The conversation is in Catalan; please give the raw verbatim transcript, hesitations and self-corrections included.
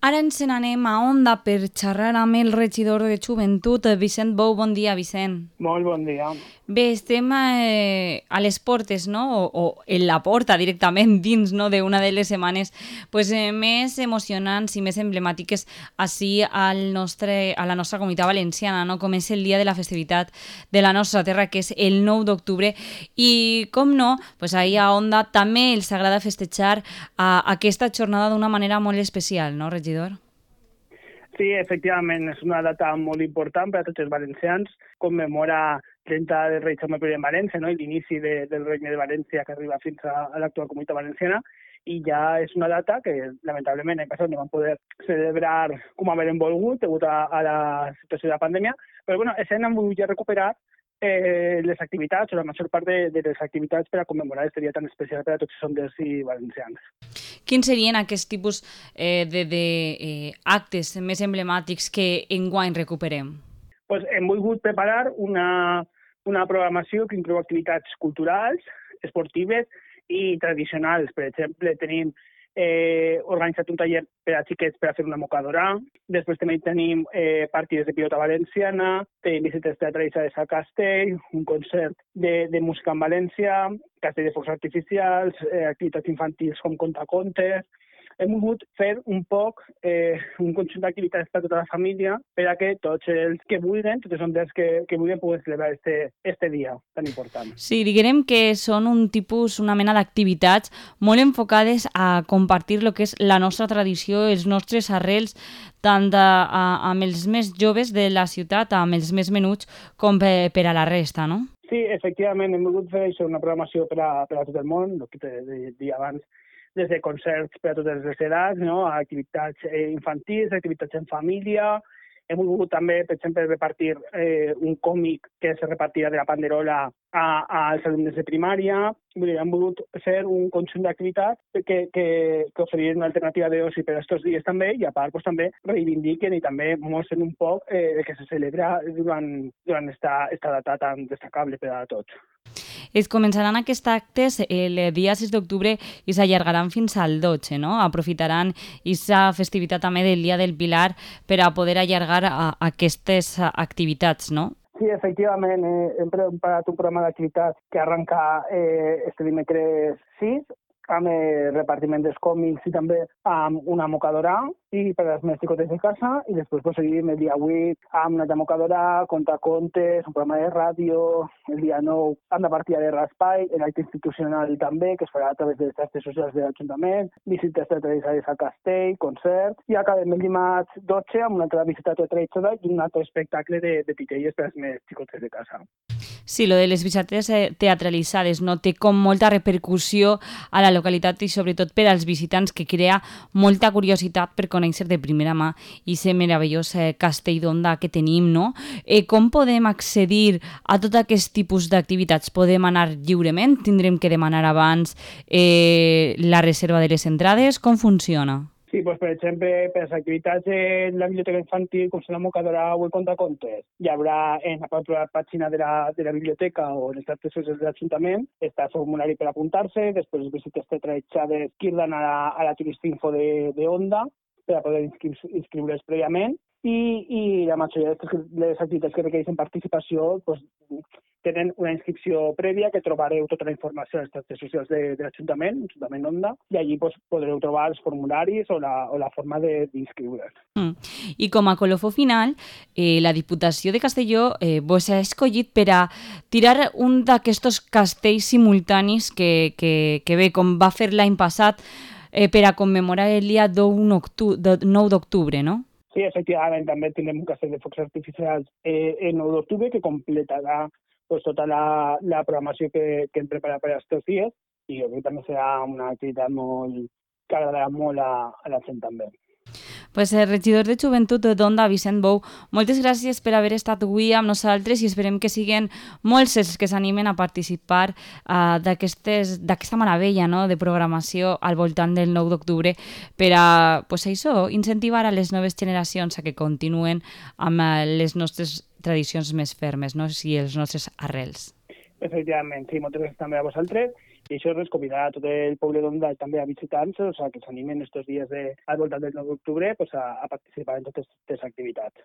Ara ens n'anem a Onda per xerrar amb el regidor de Joventut, Vicent Bou. Bon dia, Vicent. Molt bon dia. Bé, estem eh, a les portes, no? O, o en la porta, directament dins, no?, d'una de les setmanes pues, eh, més emocionants i més emblemàtiques així al nostre, a la nostra comunitat valenciana, no? Com és el dia de la festivitat de la nostra terra, que és el nou d'octubre. I, com no, pues, ahir a Onda també els agrada festejar a aquesta jornada d'una manera molt especial, no, regidor? Sí, efectivament, és una data molt important per a tots els valencians. Commemora trenta del rei Jaume primer en València, no? I l'inici de, del regne de València que arriba fins a, a l'actual comunitat valenciana. I ja és una data que, lamentablement, l'any passat no vam poder celebrar com havíem volgut degut a, a la situació de la pandèmia. Però, bueno, aquest any hem volgut recuperar eh, les activitats, o la major part de, de les activitats per a commemorar aquest dia tan especial per a tots els sonders i valencians. Quins serien aquests tipus eh, de, de eh, actes més emblemàtics que enguany recuperem? Pues hem volgut preparar una, una programació que inclou activitats culturals, esportives i tradicionals. Per exemple, tenim eh, organitzat un taller per a xiquets per a fer una mocadora. Després també tenim eh, partides de pilota valenciana, tenim visites teatralitzades a Castell, un concert de, de música en València, castell de focs artificials, eh, activitats infantils com contacontes. Hem volgut fer un poc eh, un conjunt d'activitats per a tota la família per a que tots els que vulguin, tots els sonders que, que vulguin, puguen celebrar este, este dia tan important. Sí, diguem que són un tipus, una mena d'activitats molt enfocades a compartir el que és la nostra tradició, els nostres arrels, tant a, a, amb els més joves de la ciutat, amb els més menuts, com per, per a la resta, no? Sí, efectivament, hem volgut fer això, una programació per a, per a tot el món, el que t'he dit abans, des de concerts per a totes les edats, no? A activitats eh, infantils, activitats en família. Hem volgut també, per exemple, repartir eh, un còmic que se repartirà de la Panderola a, als alumnes de primària. Vull dir, hem volgut fer un conjunt d'activitats que, que, que oferien una alternativa d'oci per a aquests dies també, i a part pues, també reivindiquen i també mostren un poc eh, que se celebra durant, durant esta, esta data tan destacable per a tots. Es començaran aquests actes el dia sis d'octubre i s'allargaran fins al dotze, no? Aprofitaran aquesta festivitat també del Dia del Pilar per a poder allargar a aquestes activitats, no? Sí, efectivament, eh, hem preparat un programa d'activitats que arrenca eh, este dimecres sis, amb el repartiment dels còmics i també amb una mocadora i per als més xicotes de casa, i després pues, seguim el dia vuit amb una altra mocadora, contacontes, un programa de ràdio, el dia nou amb la partida de raspall, l'acte institucional també, que es farà a través de les xarxes socials de l'Ajuntament, visites teatralitzades a Castell, concerts, i acabem el dimarts dotze amb una altra visita teatralitzada i un altre espectacle de, de titelles per als més xicotes de casa. Sí, lo de les visites teatralitzades no té com molta repercussió a la localitat i sobretot per als visitants, que crea molta curiositat per conèixer de primera mà i ser meravellós eh, castell d'Onda que tenim, no? Eh, com podem accedir a tot aquest tipus d'activitats? Podem anar lliurement? Tindrem que demanar abans eh, la reserva de les entrades? Com funciona? Sí, doncs, per exemple, per les activitats en la biblioteca infantil, com són la mocadora o el contacontes, hi haurà en la pròpia pàgina de la, de la biblioteca o en les xarxes socials de l'Ajuntament, està el formulari per apuntar-se, després les visites teatralitzades que irran a la, a la turistinfo de, de Onda per a poder inscri inscriure's prèviament, i, i la majoria de les activitats que requereixen participació doncs, tenen una inscripció prèvia, que trobareu tota la informació a les xarxes socials de, de l'Ajuntament, l'Ajuntament Onda, i allí doncs, podreu trobar els formularis o la, o la forma d'inscriure's. Mm. I com a colofó final, eh, la Diputació de Castelló eh, vos ha escollit per a tirar un d'aquests castells simultanis que, que, que bé, com va fer l'any passat, eh, per a commemorar el dia nou d'octubre, no? Sí, efectivament, també tindrem un castell de focs artificials eh, el nou d'octubre que completarà pues, tota la, la programació que, que hem preparat per aquests dies, i jo crec que també serà una activitat molt, que agradarà molt a, a la gent també. Pues el regidor de Joventut d'Onda, Vicent Bou, moltes gràcies per haver estat avui amb nosaltres i esperem que siguin molts els que s'animen a participar uh, d'aquesta meravella, no?, de programació al voltant del nou d'octubre per a pues, això, incentivar a les noves generacions a que continuen amb uh, les nostres tradicions més fermes, no?, i els nostres arrels. Efectivament, sí, moltes gràcies també a vosaltres I això és convidar a tot el poble d'Onda també a visitar-nos, o sigui, que s'animen estos dies de, al voltant del nou d'octubre pues, a, a participar en totes aquestes activitats.